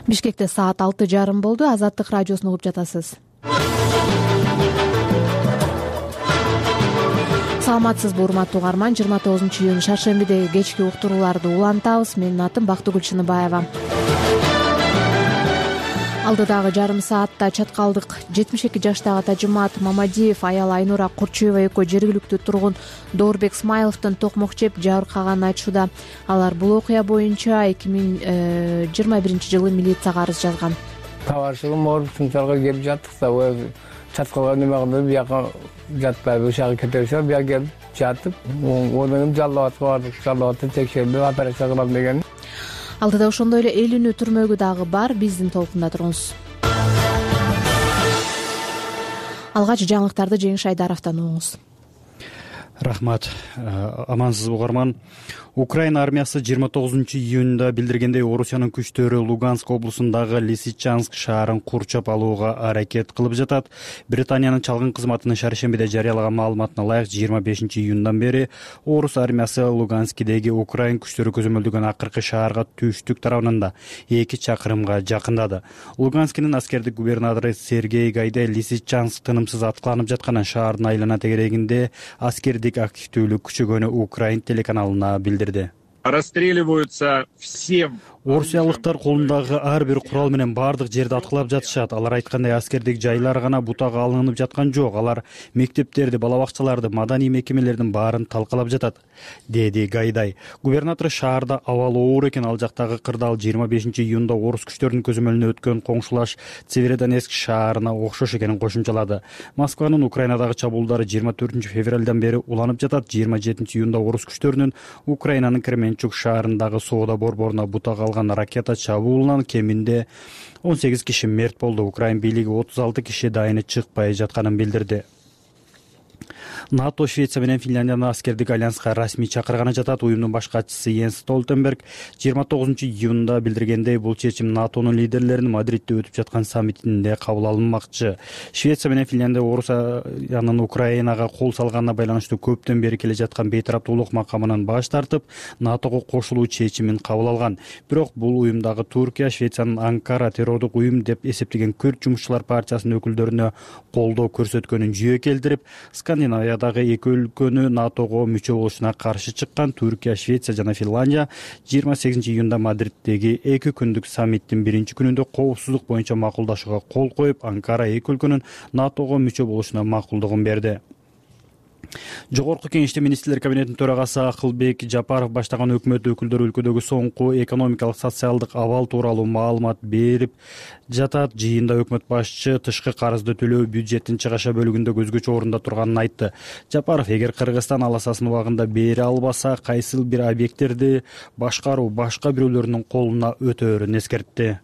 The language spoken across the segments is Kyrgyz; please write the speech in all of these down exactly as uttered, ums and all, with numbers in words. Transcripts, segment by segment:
Бишкекте саат алты жарым болду. Азаттык радиосун угуп жатасыз. Саламатсызбы, урматтуу угарман. жыйырма тогузунчу июнь шаршембидеги кечки уктурууларды улантабыз. Менин атым Бактыгүл Чыныбаева. Алдыдагы жарым саатта чаткалдык жетимиш эки жаштагы Тажымат Мамадиев аял Айнура Курчуева экөө жергиликтүү тургун Доорбек Смайловдон токмок жеп жабыркаганын айтышууда. Алар бул окуя боюнча эки миң жыйырма биринчи жылы милицияга арыз жазган. Табарчылыгым ооруп сынчалга келип жаттык да, чаткалга неме кылып бияка жатпайбы, ушага кетебиз, бияка келип жатып, одан Жалал-Абадка бардык. Жалал-Абадта текшерип операция кылам деген. Алдыда ошондой эле элүүнү түрмөгү дагы бар. Биздин толкунда туруңуз. Алгач жаңылыктарды Жеңиш Айдаровдон угуңуз. Рахмат. Амансызбы угарман. Украина армиясы жыйырма тогузунчу июнда билдиргендей, Орусиянын күчтөрү Луганск облусундагы Лисичанск шаарын курчап алууга аракет кылып жатат. Британиянын чалгын кызматынын шаршембиде жарыялаган маалыматына ылайык, жыйырма бешинчи июндан бери Орус армиясы Луганскидеги Украин күчтөрү көзөмөлдөгөн акыркы шаарга түштүк тарабынан эки чакырымга жакындады. Луганскинин аскердик губернатору Сергей Гайдай Лисичанск тынымсыз аткыланып жатканын, шаардын айлана тегерегинде аскердик активдүүлүк күчөгөнү Украин телеканалына билдирди. Расстреливаются все. Орусиялыктар колундагы ар бир курал менен баардык жерди аткылап жатышат. Алар айткандай, аскердик жайлар гана бутага алынып жаткан жок. Алар мектептерди, бала бакчаларды, маданий мекемелердин баарын талкалап жатат, деди Гайдай. Губернатор шаарда абал оор экен, ал жактагы кырдаал жыйырма бешинчи июнда орус күчтөрүнүн көзөмөлүнө өткөн коңшулаш Северодонецк шаарына окшош экенин кошумчалады. Москванын Украинадагы чабуулдары жыйырма төртүнчү февралдан бери уланып жатат. жыйырма жетинчи июнда орус күчтөрүнүн Украинанын Кременчук шаарындагы соода борборуна бутага алган ракета чабуулунан кеминде он сегиз киши мерт болду. Украин бийлиги отуз алты киши дайыны чыкпай жатканын билдирди. НАТО Швеция менен Финляндияны аскердик альянска расмий чакырганы жатат. Уюмдун баш катчысы Йенс Столтенберг жыйырма тогузунчу июнда билдиргендей, бул чечим НАТОнун лидерлеринин Мадридде өтүп жаткан саммитинде кабыл алынмакчы. Швеция менен Финляндия Орусиянын Украинага кол салганына байланыштуу көптөн бери келе жаткан бейтараптуулук макамынан баш тартып, НАТОго кошулуу чечимин кабыл алган. Бирок бул уюмдагы Туркия, Швециянын Анкара террордук уюм деп эсептеген Күрд жумушчулар партиясынын өкүлдөрүнө колдоо көрсөткөнүн жүйө келтирип, Скандинавиядагы эки өлкөнү НАТОго мүчө болушуна каршы чыккан Түркия, Швеция жана Финландия жыйырма сегизинчи июнда Мадриддеги эки күндүк саммиттин биринчи күнүндө коопсуздук боюнча макулдашууга кол коюп, Анкара эки өлкөнүн НАТОго мүчө болушуна макулдугун берди. Жогорку кеңеште министрлер кабинетинин төрагасы Акылбек Жапаров баштаган өкмөт өкүлдөрү өлкөдөгү соңку экономикалык, социалдык абал тууралуу маалымат берип жатат. Жыйында өкмөт башчы тышкы карызды төлөө бюджеттин чыгаша бөлүгүндө көзгөчө орунда турганын айтты. Жапаров, эгер Кыргызстан аласасын убагында бере албаса, кайсыл бир объекттерди башкаруу башка бирөөлөрдүн колуна өтөөрүн эскертти.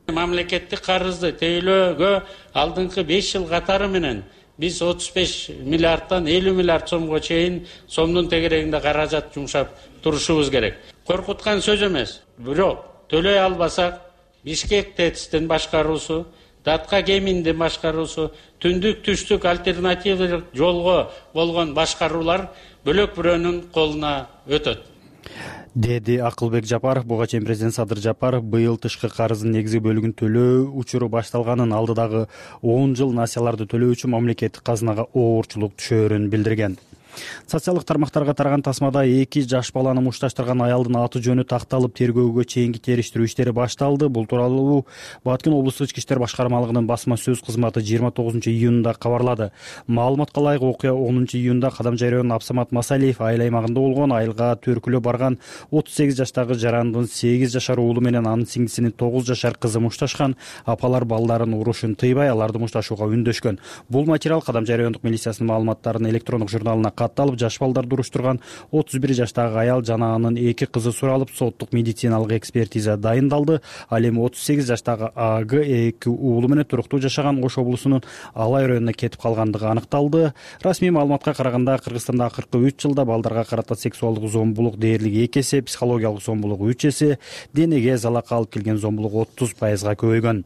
Мамлекеттик карызды төлөөгө алдыңкы беш жыл катары менен биз отуз беш миллиардтан элүү миллиард сомго чейин сомдун тегерегинде каражат жумшап турушубуз керек. Коркуткан сөз эмес. Бирок төлөй албасак, Бишкек ТЭЦтин башкаруусу, Датка кеминдин башкаруусу, түндүк түштүк альтернативдик жолго болгон башкаруулар бөлөк бирөөнүн колуна өтөт, деди Акылбек Жапаров. Буга чейин президент Садыр Жапаров быйыл тышкы карыздын негизги бөлүгүн төлөө учуру башталганын, алдыдагы он жыл насияларды төлөө үчүн мамлекеттик казынага оорчулук түшөөрүн билдирген. Социалдык тармактарга тараган тасмада эки жаш баланы мушташтырган аялдын аты жөнү такталып, тергөөгө чейинки териштирүү иштери башталды. Бул тууралуу Баткен облустук ички иштер башкармалыгынын басма сөз кызматы жыйырма тогузунчу июнда кабарлады. Маалыматка ылайык, окуя онунчу июнда Кадамжайрыөнүн Абсамат Масалиев айыл аймагында болгон. Айылга төркүлө барган отуз сегиз жаштагы жарандын сегиз жашар уулу менен анын сиңдисинин тогуз жашар кызы мушташкан. Апалар балдарын урушун тыйбай, аларды мушташууга үндөшкөн. Бул материал Кадамжайрыөндүк милициясынын маалыматтарынын электрондук журналына катталып, жаш балдарды уруштурган отуз бир жаштагы аял жана анын эки кызы суралып, соттук медициналык экспертиза дайындалды. Ал эми отуз сегиз жаштагы АГ эки уулу менен туруктуу жашаган Ош облусунун Алай районуна кетип калгандыгы аныкталды. Расмий маалыматка караганда, Кыргызстанда акыркы үч жылда балдарга карата сексуалдык зомбулук дээрлик эки эсе, психологиялык зомбулук үч эсе, денеге залак алып келген зомбулук отуз пайызга көбөйгөн.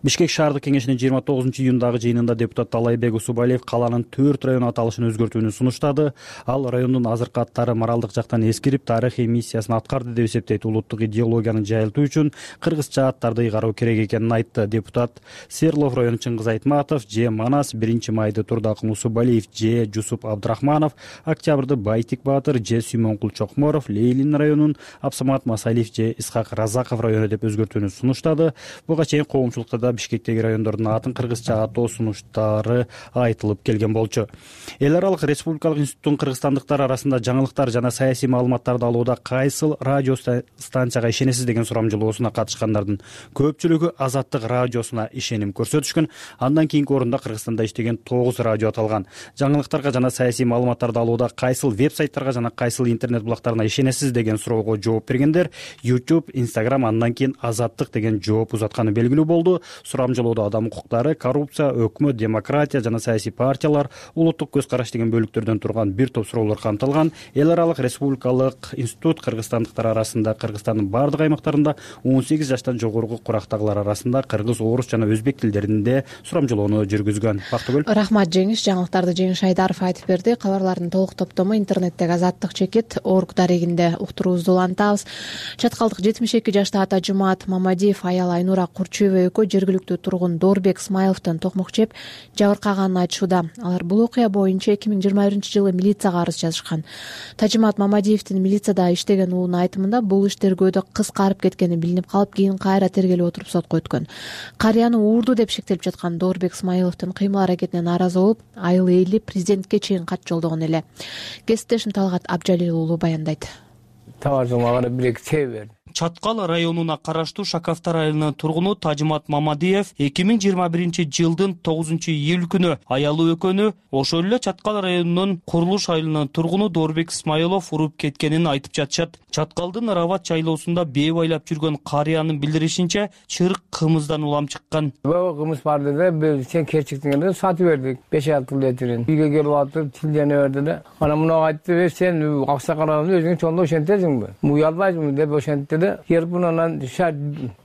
Бишкек шаардык кеңешинин жыйырма тогузунчу июндагы жыйынында депутат Талайбек Усубалиев калаанын төрт район аталышын өзгөртүүнү сунуштады. Ал райондун азыркы аттары моралдык жактан эскирип, тарыхый миссиясын аткарды деп эсептейт. Улуттук идеологияны жайылтуу үчүн кыргызча аттарды ыйгаруу керек экенин айтты. Депутат Серлов району Чыңгыз Айтматов, Же Манас, биринчи майды Турдакын Усубалиев, Же Жусуп Абдрахманов, Октябрды Байтик Баатыр, Же Сүймөнкул Чокморов, Лейлин районун Абсамат Масалиев, Же Исхак Разаков району деп өзгөртүүнү сунуштады. Буга чейин коомчулукта да Бишкектеги райондордун атын кыргызча атоо сунуштары айтылып келген болчу. Эл аралык республикалык институттун кыргызстандыктар арасында жаңылыктар жана саясий маалыматтарды алууда кайсыл радио станцияга ишенесиз деген сурамжылоосуна катышкандардын көпчүлүгү Азаттык радиосуна ишеним көрсөтүшкөн. Андан кийинки орунда Кыргызстанда иштеген тогуз радио аталган. Жаңылыктарга жана саясий маалыматтарды алууда кайсыл веб-сайттарга жана кайсыл интернет булактарына ишенесиз деген суроого жооп бергендер YouTube, Instagram, андан кийин Азаттык деген жооп узатканы белгилүү болду. Сурамжылоодо адам укуктары, коррупция, өкмөт, демократия жана саясий партиялар, улуттук көз караш деген бөлүктөрдөн турган бир топ суроолор камтылган. Эл аралык республикалык институт кыргызстандыктар арасында Кыргызстандын бардык аймактарында он сегиз жаштан жогорку курактагылар арасында кыргыз, орус жана өзбек тилдеринде сурамжылоону жүргүзгөн. Бактыгүл. Рахмат Жеңиш. Жаңылыктарды Жеңиш Айдаров айтып берди. Кабарлардын толук топтому интернеттеги азаттык чекит орг дарегинде уктуруубузду улантабыз. Чаткалдык жетимиш эки жаштагы Тажымат Мамадиев аял Айнура Курчуева экөө жергиликтүү тургун Доорбек Смайловдон токмок жеп жабыркаганын айтышууда. Алар бул окуя боюнча эки миң жыйырма биринчи жылы милицияга арыз жазышкан. Тажымат Мамадиевдин милицияда иштеген уулунун айтымында бул иш тергөөдө кыскарып кеткени билинип калып, кийин кайра тергелип отуруп сотко өткөн. Карыяны уурду деп шектелип жаткан Доорбек Смайловдун кыймыл аракетине нааразы болуп, айыл эли президентке чейин кат жолдогон эле. Кесиптешим Талгат Абжалил уулу баяндайт. Таваржыңга карап бир эки чей берди. Чаткал районуна караштуу Шакафтар айылынын тургуну Тажымат Мамадиев эки миң жыйырма биринчи жылдын тогузунчу июль күнү аялы экөөнү ошол эле Чаткал районунун Курулуш айылынын тургуну Доорбек Смайлов уруп кеткенин айтып жатышат. Чаткалдын Рават жайлоосунда бээ байлап жүргөн карыянын билдиришинче, чырык кымыздан улам чыккан. Бул кымыз бар деди, сен кечиктиңде сатып бердик беш алты литрин. Үйгө келип атып тилдене берди да. Ана муну айтты, сен аксакаларды өзүң чондо ошентесиңби? Уялбайсыңбы деп ошентти. Ербунан шар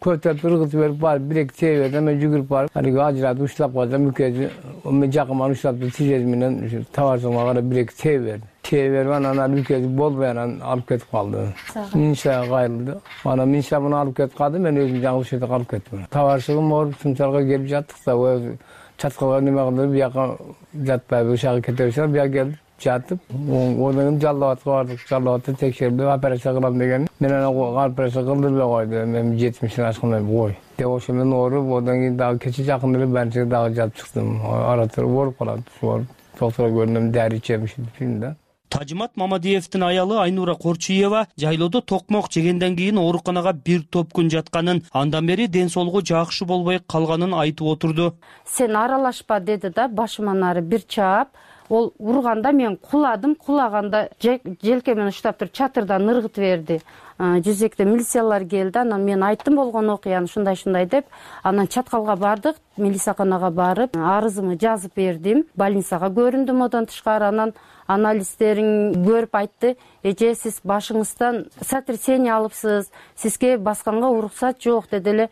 көтөп ыргытып берип барып бир эки чей берди. Мен жүгүрүп барып алиги ажыратып уштап койдум. Мүкөзү мен жакыман уштап тижез менен таваржыңга карап бир эки чей берди. Чей берип анан мүкөзү болбой анан алып кетип калды. Миншага кайрылды. Анан Минша муну алып кетип калды. Мен өзүм жаңы ушерде калып кеттим. Таваржыгым ооруп Сумчалга келип жаттык да, Чаткалга неме кылдырып, бияка жатпайбы, ушага кете берсе, бияка келип жатып, одан Жалал Абадка бардык. Жалал Абадта текшерип операция кылам деген. Мен анан операция кылдырбай койду. Мен жетимиштен ашкандай кой. Деп ошо менен ооруп, одан кийин дагы кече жакын эле больницага дагы жатып чыктым. Араты ооруп калат. Ошо доктурга көрүнөм, дари ичемишим да. Тажымат Мамадиевдин аялы Айнура Курчуева жайлоодо токмок жегенден кийин ооруканага бир топ күн жатканын, андан бери ден соолугу жакшы болбой калганын айтып отурду. Сен аралашпа деди да, башыман ары бир чаап, ол урганда мен куладым, кулаганда желкемен уштап туруп чатырдан ыргытып берди. Жүзекте милициялар келди, анан мен айттым болгон окуяны ушундай-ушундай деп, анан Чаткалга бардык, милицияканага барып, арызымды жазып бердим. Больницага көрүндүм одан тышкары, анан анализдерин көрүп айтты, эже сиз башыңыздан сотрясение алыпсыз, сизге басканга уруксат жок деди эле.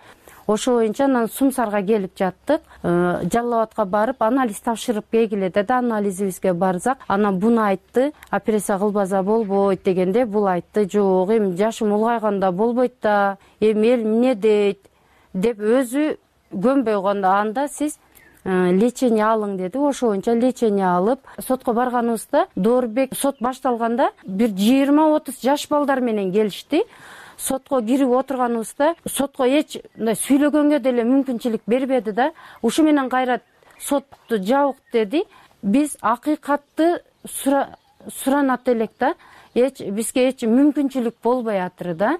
Ошо боюнча анан Сумсарга келип жаттык. Жалал Абадка барып анализ тапшырып келгиле деди. Анализибизге барсак, анан буну айтты, операция кылбаса болбойт дегенде, бул айтты, жок, эми жашым улгайганда болбойт да, эми эл эмне дейт деп өзү көнбөй койгондо, анда сиз лечение алың деди. Ошо боюнча лечение алып, сотко барганыбызда Доорбек сот башталганда бир жыйырма отуз жаш балдар менен келишти. Сотко кирип отурганыбызда сотко эч мындай сүйлөгөнгө деле мүмкүнчүлүк бербеди да. Ушу менен кайра сотту жабык деди. Биз акыйкатты суранат элек да. Эч бизге эч мүмкүнчүлүк болбой атыр да.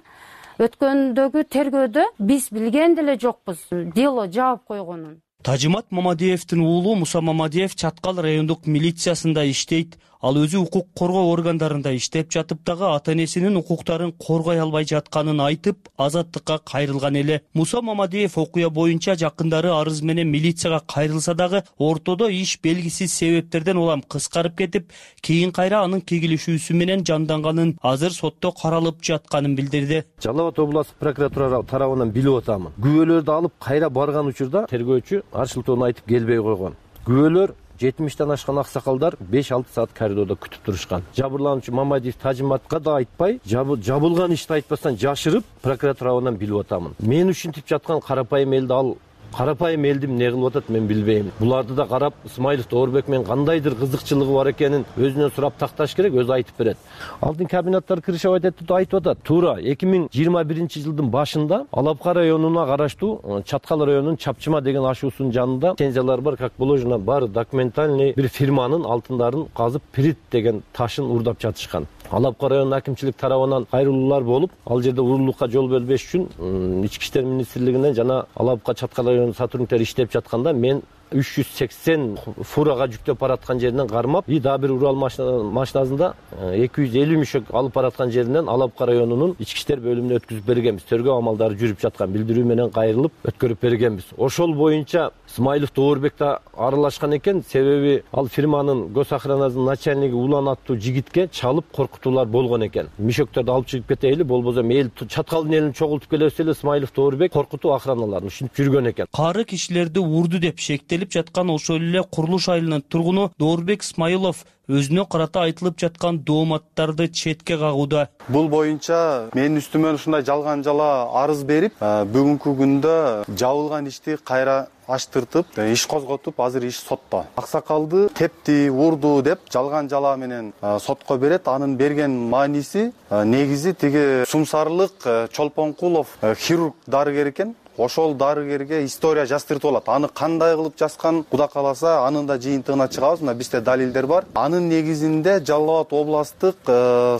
Өткөндөгү тергөөдө биз билген деле жокпуз дело жаап койгонун. Тажымат Мамадиевдин уулу Муса Мамадиев Чаткал райондук милициясында иштейт. Ал өзү укук коргоо органдарында иштеп жатып дагы ата-энесинин укуктарын коргой албай жатканын айтып, азаттыкка кайрылган эле. Муса Мамадиев окуя боюнча жакындары арыз менен милицияга кайрылса дагы ортодо иш белгисиз себептерден улам кыскарып кетип, кийин кайра анын кегилишүүсү менен жанданганын, азыр сотто каралып жатканын билдирди. Жалал Абад областык прокуратура тарабынан билип атамын. Күбөлөрдү алып кайра барган учурда тергөөчү арчылтоону айтып келбей койгон. Күбөлөр жетимиштен ашкан аксакалдар беш алты саат коридордо күтүп турушкан. Жабырлануучу Мамадиев Тажиматка да айтпай, жабылган ишти айтпастан жашырып, прокуратурадан билип атамын. Мен ушинтип жаткан карапайым элди ал карапайым элдим эмне кылып атат мен билбейм. Буларды да карап, Исмаилов Доорбек менен кандайдыр кызыкчылыгы бар экенин өзүнөн сурап такташ керек, өзү айтып берет. Алдын комбинаттар крышевать этти деп айтып атат. Туура эки миң жыйырма биринчи жылдын башында Алапка районуна караштуу Чаткал районунун Чапчыма деген ашуусунун жанында лицензиялар бар, как положено, бар документальный бир фирманын алтындарын казып Прит деген ташын урдап жатышкан. Алапка район акимчилик тарабынан кайрылуулар болуп, ал жерде урурлукка жол бербеш үчүн Ички иштер министрлигинен жана Алапка Чаткал районунун сотрудниктери иштеп жатканда мен үч жүз сексен фурага жүктөп бараткан жеринен кармап, и дагы бир Урал машинасында эки жүз элүү мүшөк алып бараткан жеринен Алапка районунун ички иштер бөлүмүнө өткүзүп бергенбиз. Тергөө амалдары жүрүп жаткан, билдирүү менен кайрылып өткөрүп бергенбиз. Ошол боюнча Исмаилов Доорбек да аралашкан экен, себеби ал фирманын госохранасынын начальниги Улан аттуу жигитке чалып коркутуулар болгон экен. Мүшөктөрдү алып чыгып кетейли, болбосо эл Чаткалдын элин чогултуп келебиз эле, Исмаилов Доорбек коркутуу охраналарын ушинтип жүргөн экен. Кары кишилерди урду деп шектелип жаткан ошол эле Курулуш айылынын тургуну Доорбек Исмаилов өзүнө карата айтылып жаткан дооматтарды четке кагууда. Бул боюнча менин үстүмө ушундай жалган жала арыз берип, бүгүнкү күндө жабылган ишти кайра ачтыртып, иш козготуп, азыр иш сотто. Аксакалды тепти, урду деп жалган жала менен сотко берет. Анын берген мааниси негизи тиги Сумсарлык Чолпонкулов хирург дарыгер экен. Ошол дарыгерге история жаздыртып алат. Аны кандай кылып жазган, Кудай кааласа, анын да жыйынтыгына чыгабыз. Мына бизде далилдер бар. Анын негизинде Жалал Абад областык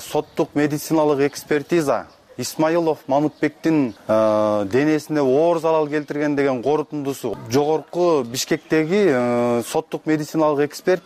соттук медициналык экспертиза Исмаилов Мамытбектин денесине оор залал келтирген деген корутундусу жогорку Бишкектеги соттук медициналык эксперт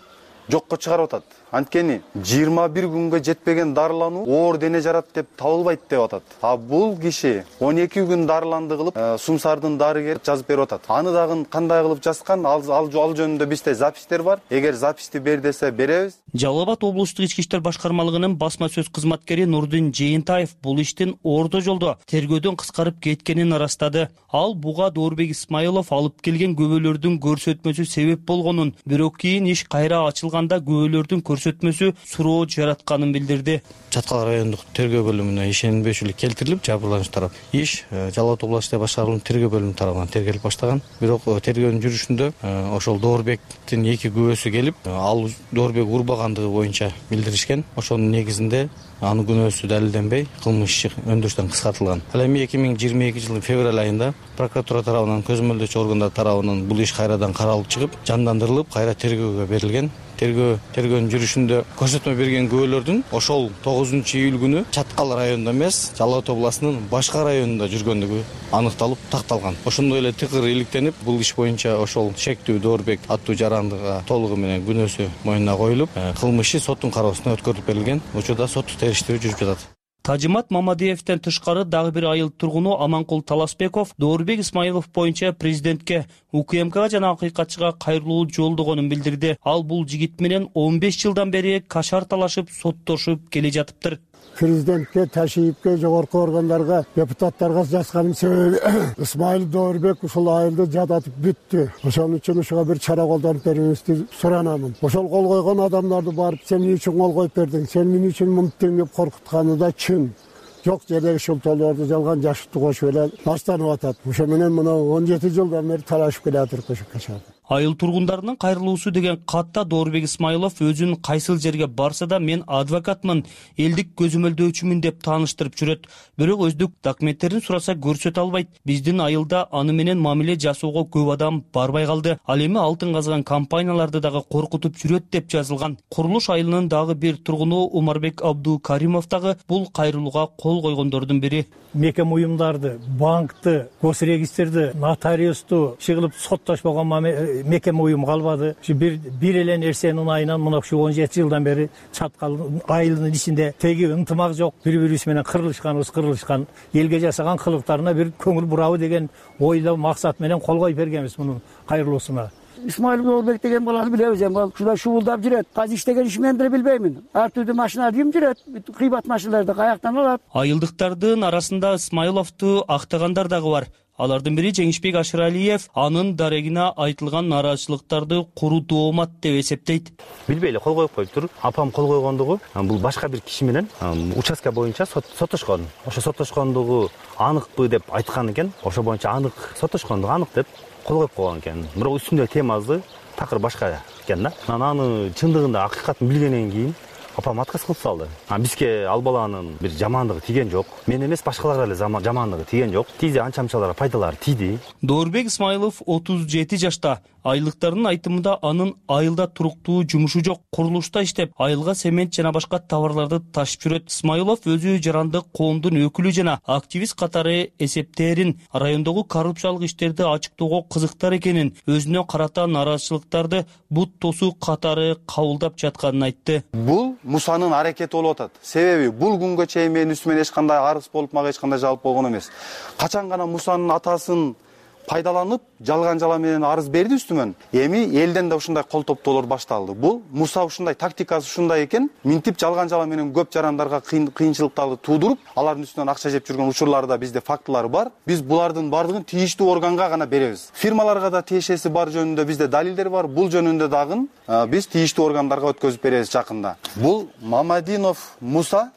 жокко чыгарып атат. Анткени жыйырма бир күнгө жетпеген дарылануу оор дене жарат деп табылбайт деп атат. А бул киши он эки күн дарыланды кылып, Сумсардын дарыгери жазып берип атат. Аны дагы кандай кылып жазган, ал ал жөнүндө бизде запистер бар. Эгер записти бер десе беребиз. Жалал Абад облустук ички иштер башкармалыгынын басма сөз кызматкери Нурдин Жээнтаев бул иштин орто жолдо тергөөдөн кыскарып кеткенин ырастады. Ал буга Доорбек Исмаилов алып келген күбөлөрдүн көрсөтмөсү себеп болгонун, бирок кийин иш кайра ачылганда күбөлөрдүн көрсөтмөсү суроо жаратканын билдирди. Чаткал райондук тергөө бөлүмүнө ишенбешүүлүк келтирилип, жабырлануучу тарап иш Жалал Абад областык башкармалыгынын тергөө бөлүмү тарабынан тергелип баштаган. Бирок тергөөнүн жүрүшүндө ошол Доорбектин эки күбөсү келип, ал Доорбек урбагандыгы боюнча билдиришкен. Ошонун негизинде анын күнөөсү далилденбей, кылмыш иши өндүрүштөн кыскартылган. Ал эми эки миң жыйырма экинчи жылдын февраль айында прокуратура тарабынан, көзөмөлдөөчү органдар тарабынан бул иш кайрадан каралып чыгып, жандандырылып, кайра тергөөгө берилген. Тергөө тергөөнүн жүрүшүндө көрсөтмө берген күбөлөрдүн ошол тогузунчу июль күнү Чаткал районунда эмес, Жалал Абад областынын башка районунда жүргөндүгү аныкталып такталган. Ошондой эле тыкыр иликтенип, бул иш боюнча ошол шектүү Доорбек аттуу жарандыга толугу менен күнөөсү мойнуна коюлуп, кылмыш иши соттун кароосуна өткөрүлүп берилген. Учурда соттук териштирүү жүрүп жатат. Тажимат Мамадиевден тышкары дагы бир айыл тургуну Аманкул Таласбеков Доорбек Исмаилов боюнча президентке, УКМКга жана акыйкатчыга кайрылуу жолдогонун билдирди. Ал бул жигит менен он беш жылдан бери кашар талашып, соттошуп келе жатыптыр. Президентке, ташийипке, жогорку органдарга, депутаттарга жазганын себеби Исмаил Доорбек ушул айылды жадатып бүттү. Ошон үчүн ушуга бир чара колдонуп берүүңүздү суранамын. Ошол кол койгон адамдарды барып, сен эмне үчүн кол коюп бердиң, сен эмне үчүн мынттың деп коркутканы да чын. Жок жердеги шылтоолорду жалган жашыктуу кошуп эле баштанып атат. Ошо менен мына он жети жылдан бери талашып келатырк ошо кашар. Айыл тургундарынын кайрылуусу деген катта Доорбек Исмаилов өзүн кайсыл жерге барса да мен адвокатмын, элдик көзөмөлдөөчүмүн деп тааныштырып жүрөт. Бирок өздүк документтерин сураса көрсөтө албайт. Биздин айылда аны менен мамиле жасоого көп адам барбай калды. Ал эми алтын казган компанияларды дагы коркутуп жүрөт деп жазылган. Курулуш айылынын дагы бир тургуну Умарбек Абдукаримов дагы бул кайрылууга кол койгондордун бири. Мекем уюмдарды, банкты, госрегистрди, нотариусту чыгылып соттошпогон мекеме уюм калбады. Ушу бир бир эле нерсенин айынан мына ушу он жети жылдан бери чаткал айылынын ичинде теги ынтымак жок, бири бирибиз менен кырылышканыбыз кырылышкан, элге жасаган кылыктарына бир көңүл бурабы деген ойдо максат менен кол коюп бергенбиз мунун кайрылуусуна. Исмаил Доорбек деген баланы билебиз эми, ал ушундай шуулдап жүрөт. Казыр иштеген иши мен деле билбеймин. Ар түрдүү машина кийим жүрөт, кыйбат машиналарды каяктан алат. Айылдыктардын арасында Исмаиловду актагандар дагы бар. Алардын бири Жеңишбек Ашыралиев анын дарегине айтылган нааразычылыктарды куру доомат деп эсептейт. Билбей эле кол коюп коюптур. Апам кол койгондугу бул башка бир киши менен участка боюнча соттошкон. Ошо соттошкондугу аныкпы деп айткан экен. Ошо боюнча анык соттошкондугу анык деп кол коюп койгон экен. Бирок үстүндө темасы такыр башка экен да. Аны чындыгында акыйкатын билгенден кийин апам отказ кылып салды. А бизге ал баланын бир жамандыгы тиген жок. Мен эмес, башкаларга эле жамандыгы тиген жок. Тизе анча-мынчалар пайдалары тиди. Доорбек Исмаилов отуз жети жашта. Айылдыктардын айтымында анын айылда туруктуу жумушу жок. Курулушта иштеп, айылга цемент жана башка товарларды ташып жүрөт. Исмаилов өзү жарандык коомдун өкүлү жана активист катары эсептерин, райондогу коррупциялык иштерди ачыктоого кызыктар экенин, өзүнө карата нааразычылыктарды бут тосуу катары кабылдап жатканын айтты. Бул Мусанын аракети болуп атат. Себеби бул күнгө чейин менин үстүмөн эч кандай арыз болуп, мага эч кандай жалп болгон эмес. Качан гана Мусанын атасын пайдаланып, жалган жала менен арыз берди үстүмөн. Эми элден да ушундай кол топтоолор башталды. Бул Муса ушундай тактикасы ушундай экен, минтип жалган жала менен көп жарандарга кыйынчылыктарды туудуруп, алардын үстүнөн акча жеп жүргөн учурларда бизде фактылар бар. Биз булардын бардыгын тийиштүү органга гана беребиз. Фирмаларга да тиешеси бар жөнүндө бизде далилдер бар. Бул жөнүндө дагы биз тийиштүү органдарга өткөзүп беребиз жакында. Бул Мамадинов Муса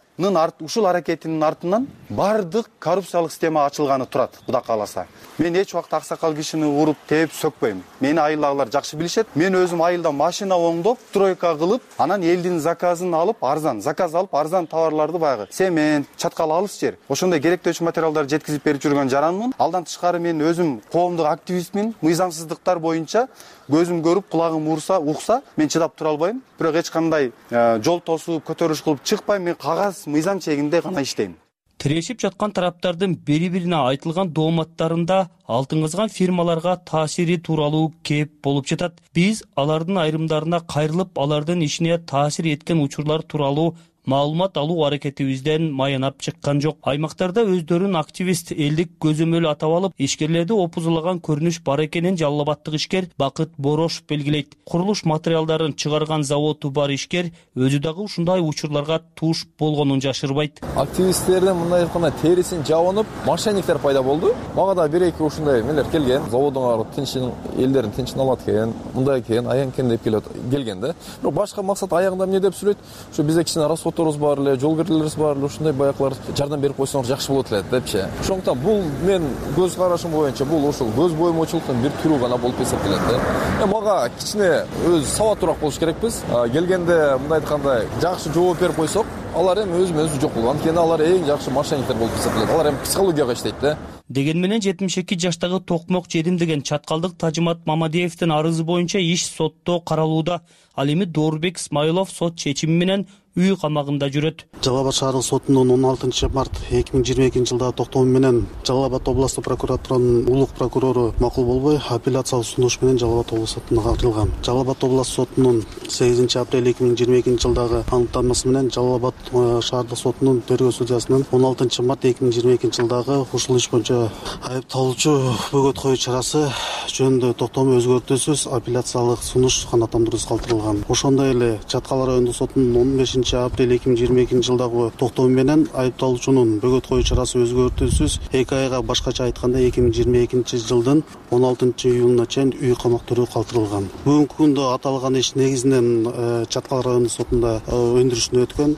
ушул аракетинин артынан бардык коррупциялык система ачылганы турат, Кудай кааласа. Мен эч убакыт аксакал кишини уруп, тээп сөкпөйм. Мени айылдагылар жакшы билишет. Мен өзүм айылда машина оңдоп, стройка кылып, анан элдин заказын алып, арзан заказ алып, арзан товарларды баягы цемент, чаткал алыс жер, ошондой керектөөчү материалдарды жеткизип берип жүргөн жаранмын. Алдан тышкары мен өзүм коомдук активистмин. Мыйзамсыздыктар боюнча көзүм көрүп, кулагым урса, укса, мен чыдап тура албайм. Бирок эч кандай жол тосуп, көтөрүш кылып чыкпайм. Мен кагаз мыйзам чегинде гана иштейм. Тирешип жаткан тараптардын бири-бирине айтылган дооматтарында алтын фирмаларга таасири тууралуу кеп болуп жатат. Биз алардын айрымдарына кайрылып, алардын ишине таасир эткен учурлар тууралуу маалымат алуу аракетибизден маянап чыккан жок. Аймактарда өздөрүн активист, элдик көзөмөл атап алып, ишкерлерди опузулаган көрүнүш бар экенин Жалал Абаддык ишкер Бакыт Борошов белгилейт. Курулуш материалдарын чыгарган заводу бар ишкер өзү дагы ушундай учурларга туш болгонун жашырбайт. Активисттердин мындай айтканда терисин жабынып, мошенниктер пайда болду. Мага да бир-эки ушундай мелер келген. Заводуңар тынчын, элдерин тынчын алат экен, мындай экен, аян экен деп келген да. Бирок башка максат аягында эмне деп сүйлөйт? Ушу бизде кичине расходторубуз бар эле, жол кирүүлөрүбүз бар эле, ушундай баяклар жардам берип койсоңор жакшы болот эле депчи. Ошондуктан бул мен көз карашым боюнча бул ушул көз боемочулуктун бир түрү гана болуп эсептелет да. Мага кичине өз сабаттуураак болуш керекпиз. Келгенде мындай айтканда жакшы жооп берип койсок, алар эми өзү-өзү жок болгон. Анткени алар эң жакшы мошенниктер болуп эсептелет. Алар эми психологияга иштейт да. Деген менен жетимиш эки жаштагы токмок жедим деген чаткалдык Тажымат Мамадиевдин арызы боюнча иш сотто каралууда. Ал эми Доорбек Исмаилов сот чечими менен үй камагында жүрөт. Жалал Абад шаардык сотунун он алтынчы март эки миң жыйырма экинчи жылдагы токтому менен Жалал Абад областык прокуратуранын улук прокурору макул болбой, апелляциялык сунуш менен Жалал Абад областык сотуна кагылган. Жалал Абад областык сотунун сегизинчи апрель эки миң жыйырма экинчи жылдагы аныктамасы менен Жалал Абад шаардык сотунун тергөө судьясынын он алтынчы март эки миң жыйырма экинчи жылдагы ушул иш боюнча айыпталуучу бөгөт коюу чарасы жөнүндө токтому өзгөртүүсүз апелляциялык сунуш канааттандыруусуз калтырылган. Ошондой эле Чаткал райондук сотунун он бешинчи апрель эки миң жыйырма экинчи жылдагы токтому менен айыпталуучунун бөгөт коюу чарасы өзгөртүүсүз эки айга, башкача айтканда эки миң жыйырма экинчи жылдын он алтынчы июлуна чейин үй камак түрү калтырылган. Бүгүнкү күндө аталган иш негизинен Чаткал райондук сотунда өндүрүшүнө өткөн.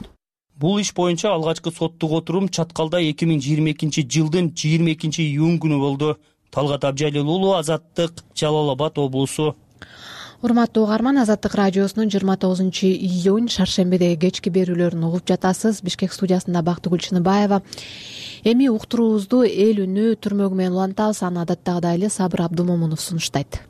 Бул иш боюнча алгачкы соттук отурум Чаткалда эки миң жыйырма экинчи жылдын жыйырма экинчи июнь күнү болду. Талгат Абжалил уулу, Азаттык, Жалал Абад облусу. Урматтуу угарман, Азаттык радиосунун жыйырма тогузунчу июнь шаршембидеги кечки берүүлөрүн угуп жатасыз. Бишкек студиясында Бактыгүл Чыныбаева. Эми уктуруубузду эл үнү түрмөгү менен улантабыз. Аны адаттагыдай эле Сабыр Абдумомунов сунуштайт.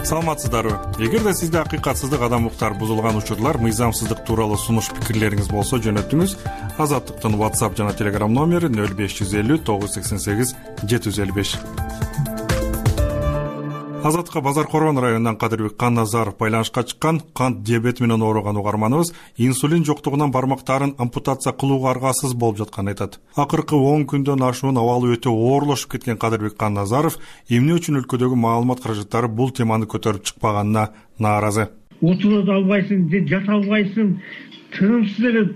Саламатсыздарбы? Эгерде сизде акыйкатсыздык, адам укуктары бузулган учурлар, мыйзамсыздык тууралуу сунуш пикирлериңиз болсо, жөнөтүңүз. Азаттыктын WhatsApp жана Telegram номери нөл беш жүз элүү тогуз жүз сексен сегиз жети жүз элүү беш. Азаттыкка Базар Коргон районунан Кадырбек Канназаров байланышка чыккан. Кант диабети менен ооруган угарманыбыз инсулин жоктугунан бармактарын ампутация кылууга аргасыз болуп жатканын айтат. Акыркы он күндөн ашуун абалы өтө оорлошуп кеткен Кадырбек Канназаров эмне үчүн өлкөдөгү маалымат каражаттары бул теманы көтөрүп чыкпаганына нааразы. Отура да албайсың, же жата албайсың, тынымсыз эле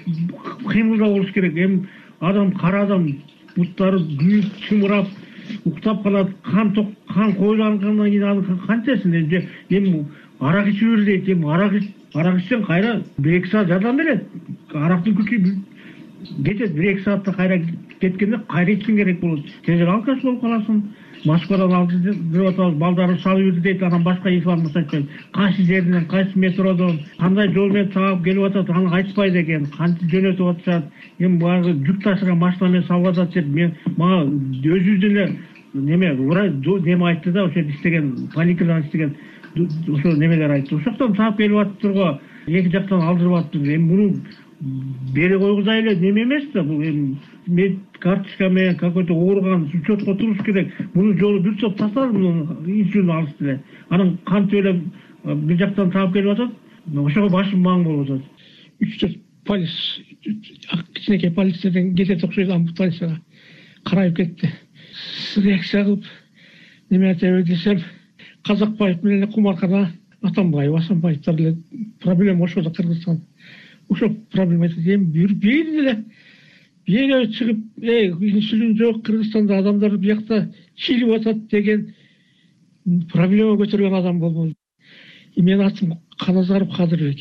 кыймылдап болуш керек. Эми адам кара адам буттары күйүп чымырап уктап калат, кан ток кан коюлгандан кийин аны канчасын эми эми арак ичип бер дейт. Эми арак арак ичсең кайра бир эки саат жардам берет. Арактын күчү кетет, бир эки саатта кайра кеткенде кайра ичиң керек болот. Тезирээк алкаш болуп каласың. Москвадан алып деп атабыз, балдары салып жүрдү дейт, анан башка информация айтпайт. Кайсы жерден, кайсы метродон, кандай жол менен таап келип атат, аны айтпайт экен. Кантип жөнөтүп атышат, эми баягы жүк ташыган машина менен салып атат деп мен мага өзүбүздүн эле неме врач неме айтты да, ошо иштеген поликлиникада иштеген ошо немелер айтты. Ошоктон таап келип атыптырго, эки жактан алдырып атыптыр. Эми муну бере койгузай эле неме эмес да, бул эми мед карточка менен какой-то ооруган учетко туруш керек. Мунун жолу бир топ тасталып, инсулин алышты эле. Анан кантип эле бир жактан таап келип атат, ошого башым маң болуп атат. үч төрт полис, кичинекей полициядан кетет окшойт, ампутацияга карайып кетти. Реакция кылып неме айтабы десем, Казакбаев менен Кумаркада Атамбаев, Асанбаевдер эле проблема ошо да Кыргызстан. Ошо проблема айтат. Эми бир бир эле бир чыгып, эй, инсулин жок, Кыргызстанда адамдар биякта чилип атат деген проблема көтөргөн адам болбойт. И менин атым Каназаров Кадырбек.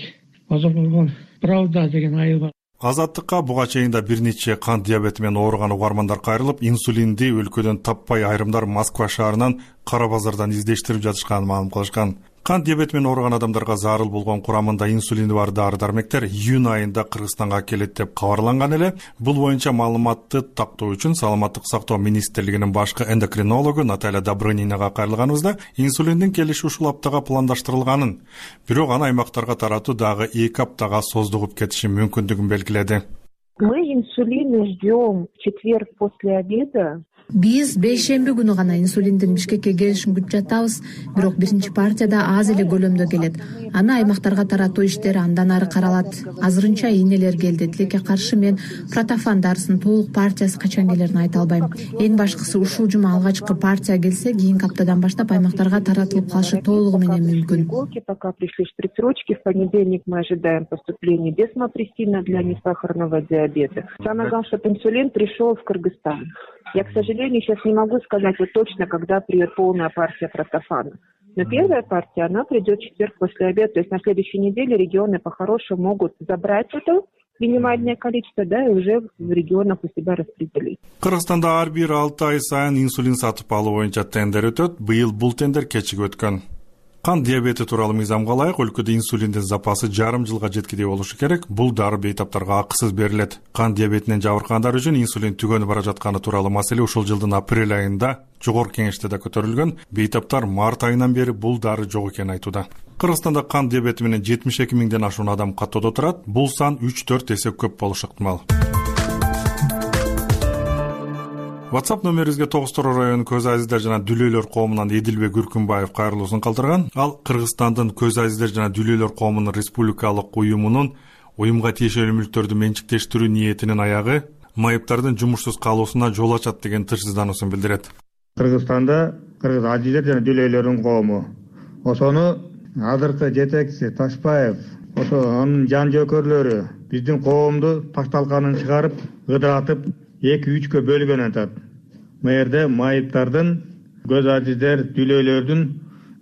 Базар Коргон Правда деген айыл бар. Азаттыкка буга чейин да бир нече кант диабети менен ооруган угармандар кайрылып, инсулинди өлкөдөн таппай айрымдар Москва шаарынан Кара базардан издештирип жатышканын маалым кылышкан. Кант диабети менен ооруган адамдарга зарыл болгон курамында инсулини бар дары-дармектер июнь айында Кыргызстанга келет деп кабарланган эле. Бул боюнча маалыматты тактоо үчүн Саламаттык сактоо министрлигинин башкы эндокринологу Наталья Добрынинага кайрылганыбызда инсулиндин келиши ушул аптага пландаштырылганын, бирок аны аймактарга таратуу дагы эки аптага создугуп кетиши мүмкүндүгүн белгиледи. Мы инсулины ждем в четверг после обеда. Биз бейшемби күнү гана инсулиндин Бишкекке келишин күтүп жатабыз, бирок биринчи партияда аз эле көлөмдө келет. Аны аймактарга таратуу иштери андан ары каралат. Азырынча ийнелер келди. Тилекке каршы мен протофан дарысынын толук партиясы качан келерин айта албайм. Эң башкысы ушул жума алгачкы партия келсе, кийинки аптадан баштап аймактарга таратылып калышы толугу менен мүмкүн. Пока пришли шприцручки, в понедельник мы ожидаем поступления десмопрессина для несахарного диабета. Самое главное, чтобы инсулин пришел в Кыргызстан. Я, к сожалению, сейчас не могу сказать вот точно, когда придет полная партия протофана. Но первая партия, она придет в четверг после обеда. То есть на следующей неделе регионы по-хорошему могут забрать это минимальное количество, да, и уже в регионах у себя распределить. Кыргызстанда ар бир алты ай сайын инсулин сатып алуу боюнча тендер өтөт. Быйыл бул тендер кечигип өткөн. Кант диабети тууралуу мыйзамга ылайык өлкөдө инсулиндин запасы жарым жылга жеткидей болушу керек. Бул дары бейтаптарга акысыз берилет. Кант диабетинен жабыркагандар үчүн инсулин түгөнүп бара жатканы тууралуу маселе ушул жылдын апрель айында жогорку кеңеште да көтөрүлгөн. Бейтаптар март айынан бери бул дары жок экенин айтууда. Кыргызстанда кант диабети менен жетимиш эки миңден ашуун адам каттоодо турат. Бул сан үч төрт эсе көп болушу ыктымал. WhatsApp номерибизге Тогуз-Тороо районунун көз азиздер жана дүлөйлөр коомунан Эдилбек Үркүнбаев кайрылуусун калтырган. Ал Кыргызстандын көз азиздер жана дүлөйлөр коомунун республикалык уюмунун уюмга тиешелүү мүлктөрдү менчиктештирүү ниетинин аягы майыптардын жумушсуз калуусуна жол ачат деген тынчсыздануусун билдирет. Кыргызстанда кыргыз азиздер жана дүлөйлөрдүн коому ошону азыркы жетекчиси Ташпаев, ошо анын жан жөөкөрлөрү биздин коомду ташталканын чыгарып, ыдыратып эки үчкө бөлгөн атат. Мэрде майыптардын, көз азиздер, дүлөйлөрдүн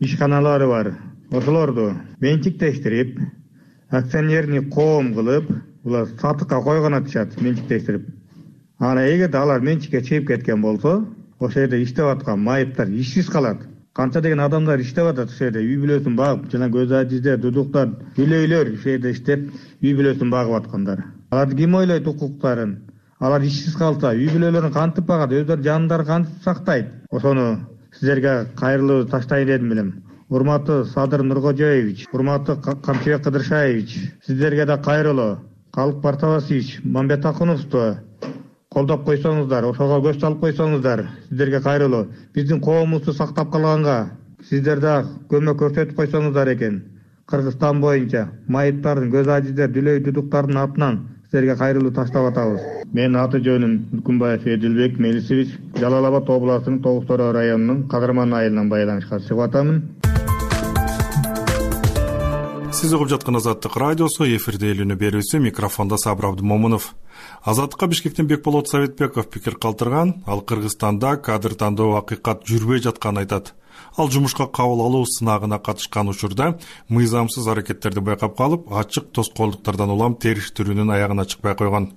ишканалары бар. Ошолорду менчиктештирип, акционерный коом кылып, булар сатыкка койгон атышат, менчиктештирип. Ана эгерде алар менчикке чыгып кеткен болсо, ошол жерде иштеп аткан майыптар ишсиз калат. Канча деген адамдар иштеп атат ошол жерде, үй бүлөсүн багып, жана көз азиздер, дудуктар, дүлөйлөр ошол жерде иштеп, үй бүлөсүн багып аткандар. Алар ким ойлойт укуктарын? Алар ишсиз калса, үй бүлөлөрүн кантип багат, өздөрү жандарын кантип сактайт? Ошону сиздерге кайрылуу таштайын дедим элем. Урматтуу Садыр Нуркожоевич, урматтуу Камчыбек Кыдыршаевич, сиздерге да кайрылуу. Калык Партавасович, Мамбет Акуновду колдоп койсоңуздар, ошого көз салып койсоңуздар, сиздерге кайрылуу. Биздин коомубузду сактап калганга Сиздер дагы көмөк көрсөтүп койсоңуздар экен. Кыргызстан боюнча майыптардын, көз ажиздер, дүлөй дудуктардын атынан силерге кайрылуу таштап атабыз. Менин аты жөнүм Күкүнбаев Эдилбек Мелисович, Жалал Абад областынын Тогуз Тороо районунун Кадырман айылынан байланышка чыгып атамын. Сиз угуп жаткан Азаттык радиосу, эфирде элүүнү берүүсү, микрофондо Сабыр Абдымомунов. Азаттыкка Бишкектен Бекболот Советбеков пикир калтырган. Ал Кыргызстанда кадр тандоо акыйкат жүрбөй жатканын айтат. Ал жумушка кабыл алуу сынагына катышкан учурда мыйзамсыз аракеттерди байкап калып, ачык тоскоолдуктардан улам териштирүүнүн аягына чыкпай койгон.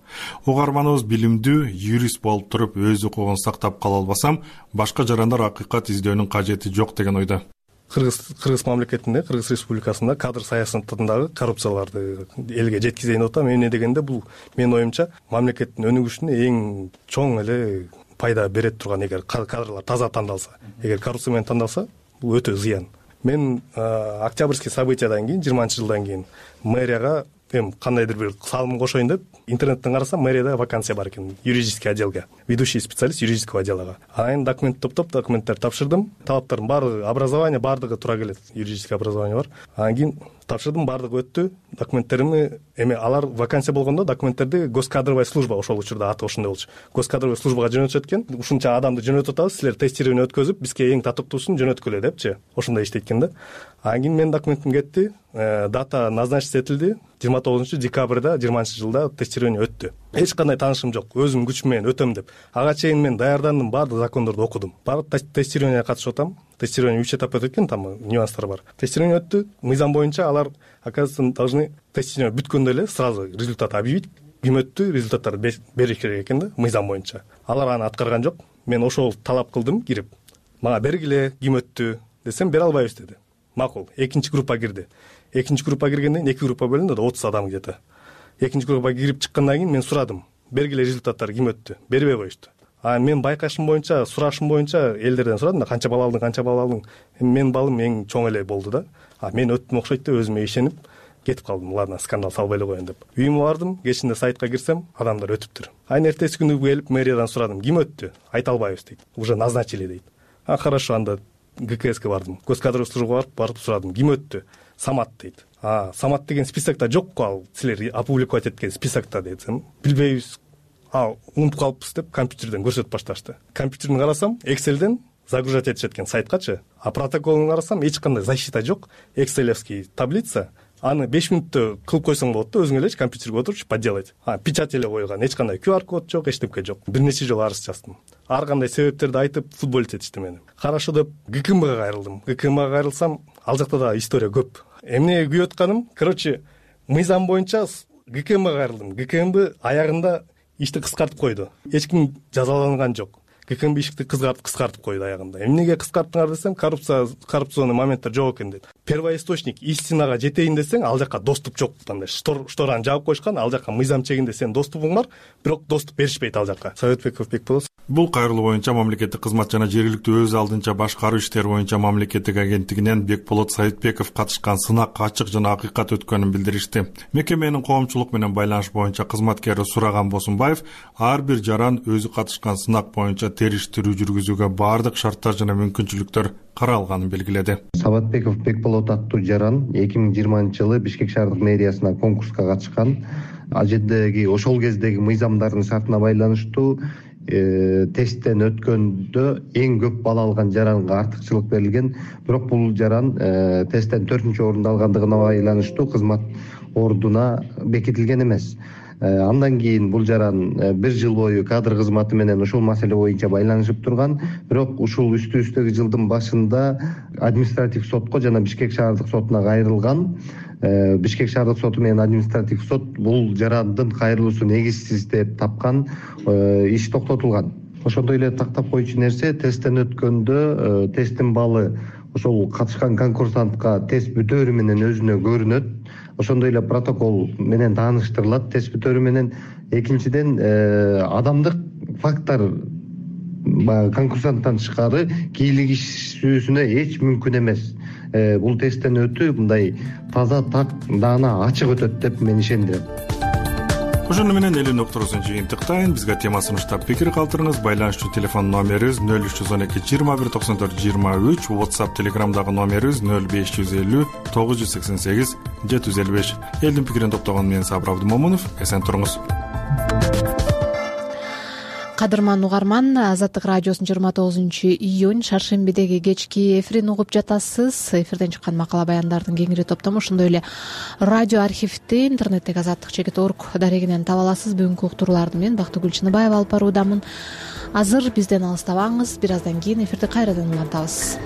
Угарманыбыз билимдүү юрист болуп туруп, өз укугун сактап кала албасам, башка жарандар акыйкат издөөнүн кажети жок деген ойдо. Кыргыз Кыргыз мамлекетинде, Кыргыз Республикасында кадр саясатындагы коррупцияларды элге жеткизейин деп атам. Эмне дегенде бул менин оюмча мамлекеттин өнүгүшүнө эң чоң эле пайда берет турган, эгер кадрлар таза тандалса, эгер коррупция менен тандалса, бул өтө зыян. Мен октябрьский событиядан кийин, жыйырманчы жылдан кийин мэрияга эми кандайдыр бир салым кошоюн деп интернеттен карасам, мэрияда вакансия бар экен, юридический отделге, ведущий специалист юридического отдела. Анан документ топтоп, документтер тапшырдым. Талаптардын баардыгы, образование баардыгы туура келет. Юридический образование бар. Анан кийин тапшырдым, баардыгы өттү. Документтеримди эми алар вакансия болгондо документтерди госкадровая служба, ошол учурда аты ошондой болчу. Госкадровая службага жөнөтүшөт экен. Ушунча адамды жөнөтүп атабыз, силер тестирование өткөзүп, бизге эң татыктуусун жөнөткүлө депчи. Ошондой иштейт экен да. Анан кийин менин документим кетти. Дата назначиться этилди. жыйырма тогузунчу декабрда жыйырманчы жылда тестирование өттү. Эч кандай таанышым жок. Өзүм күчүм менен өтөм деп. Ага чейин мен даярдандым, баардык закондорду окудум. Барып тестированияга катышып атам. Тестирование үч этап өтөт экен, там нюанстар бар. Тестирование өттү. Мыйзам боюнча алар, оказывается, должны тестирование бүткөндө эле сразу результат объявить. Ким өттү, результаттарды бериш керек экен да, мыйзам боюнча. Алар аны аткарган жок. Мен ошол талап кылдым, кирип. Мага бергиле, ким өттү десем, бере албайбыз деди. Макул. Экинчи группа кирди. Экинчи группа киргенден кийин эки группа бөлүндү да, отуз адам где-то. Экинчи группага кирип чыккандан кийин мен сурадым. Бергиле результаттар ким өттү? Бербей коюшту. А мен байкашым боюнча, сурашым боюнча элдерден сурадым да, канча балл алдың, канча балл алдың. Менин баллым эң чоң эле болду да. А мен өттүм окшойт деп өзүмө ишенип кетип калдым. Ладно, скандал салбай эле коеюн деп. Үйүмө бардым, кечинде сайтка кирсем, адамдар өтүптүр. Айын эртеси күнү келип мэриядан сурадым. Ким өттү? Айта албайбыз дейт. Уже назначили дейт. А хорошо, анда ГКСке бардым. Госкадровая службага барып, барып сурадым. Ким өттү? Самат дейт. А, Самат деген списокто жок го, ал силер опубликовать эткен списокто десем, билбейбиз. А, унутуп калыппыз деп компьютерден көрсөтүп башташты. Компьютерден карасам, Excel'ден загружать этишет экен сайткачы. А протоколун карасам, эч кандай защита жок. Excel'евский таблица. Аны беш мүнөттө кылып койсоң болот да, өзүң эле компьютерге отуруп подделать. А, печать эле койгон, эч кандай ку ар код жок, эчтеке жок. Бир нече жолу арыз жаздым. Ар кандай себептерди айтып, футболить этишти мени. Хорошо деп ГКМга кайрылдым. ГКМга кайрылсам, ал жакта да история көп. Эмне күйүп атканым, короче, мыйзам боюнча ГКМга кайрылдым. ГКМбы аягында ишти кыскартып койду. Эч ким жазаланган жок. ГКМбы ишти кыскартып кыскартып койду аягында. Эмнеге кыскарттыңар десем, коррупция, коррупционный моменттер жок экен дейт. Первоисточник истинага жетейин десең, ал жака доступ жок. Андай штораны жаап коюшкан, ал жака мыйзам чегинде сен доступуң бар, бирок доступ беришпейт ал жака. Советбеков Бекболот. Бул кайрылуу боюнча мамлекеттик кызмат жана жергиликтүү өз алдынча башкаруу иштери боюнча мамлекеттик агенттигинен Бекболот Советбеков катышкан сынак ачык жана акыйкат өткөнүн билдиришти. Мекеменин коомчулук менен байланыш боюнча кызматкери Сураган Босунбаев ар бир жаран өзү катышкан сынак боюнча териштирүү жүргүзүүгө баардык шарттар жана мүмкүнчүлүктөр каралганын белгиледи. Сабатбеков Бекболот аттуу жаран эки миң жыйырманчы жылы Бишкек шаардык мэриясына конкурска катышкан. Ал жердеги ошол кездеги мыйзамдардын шартына байланыштуу тесттен өткөндө эң көп балл алган жаранга артыкчылык берилген. Бирок бул жаран тесттен төртүнчү орунду алгандыгына байланыштуу кызмат ордуна бекитилген эмес. Андан кийин бул жаран бир жыл бою кадр кызматы менен ушул маселе боюнча байланышып турган. Бирок ушул үстү-үстөгү жылдын башында административ сотко жана Бишкек шаардык сотуна кайрылган. Бишкек шаардык соту менен административ сот бул жарандын кайрылуусу негизсиз деп тапкан, иш токтотулган. Ошондой эле тактап коючу нерсе, тесттен өткөндө тесттин баллы ошол катышкан конкурсантка тест бүтөөрү менен өзүнө көрүнөт. Ошондой эле протокол менен тааныштырылат тест бүтөөрү менен. Экинчиден, адамдык факттар конкурсанттан тышкары кийлигишүүсүнө эч мүмкүн эмес. Бул тесттен өтүү мындай таза, так, даана, ачык өтөт деп мен ишендирем. ошону менен элүү уктуруусун жыйынтыктайын. Бизге тема сунуштап пикир калтырыңыз. Байланышчу телефон номерибиз нөл үч жүз он эки жыйырма бир токсон төрт жыйырма үч, WhatsApp Telegramдагы номерибиз нөл беш жүз элүү тогуз жүз сексен сегиз жети жүз элүү беш. Элдин пикирин топтогон мен Сабыр Абдымомунов. Эсен туруңуз. Кадырман угарман, Азаттык радиосунун жыйырма тогузунчу июнь шаршембидеги кечки эфирин угуп жатасыз. Эфирден чыккан макала баяндардын кеңири топтому, ошондой эле радио архивди интернеттеги азаттык чекит орг дарегинен таба аласыз. Бүгүнкү уктурууларды мен Бактыгүл Чыныбаева алып баруудамын. Азыр бизден алыстабаңыз, бир аздан кийин эфирди кайрадан улантабыз.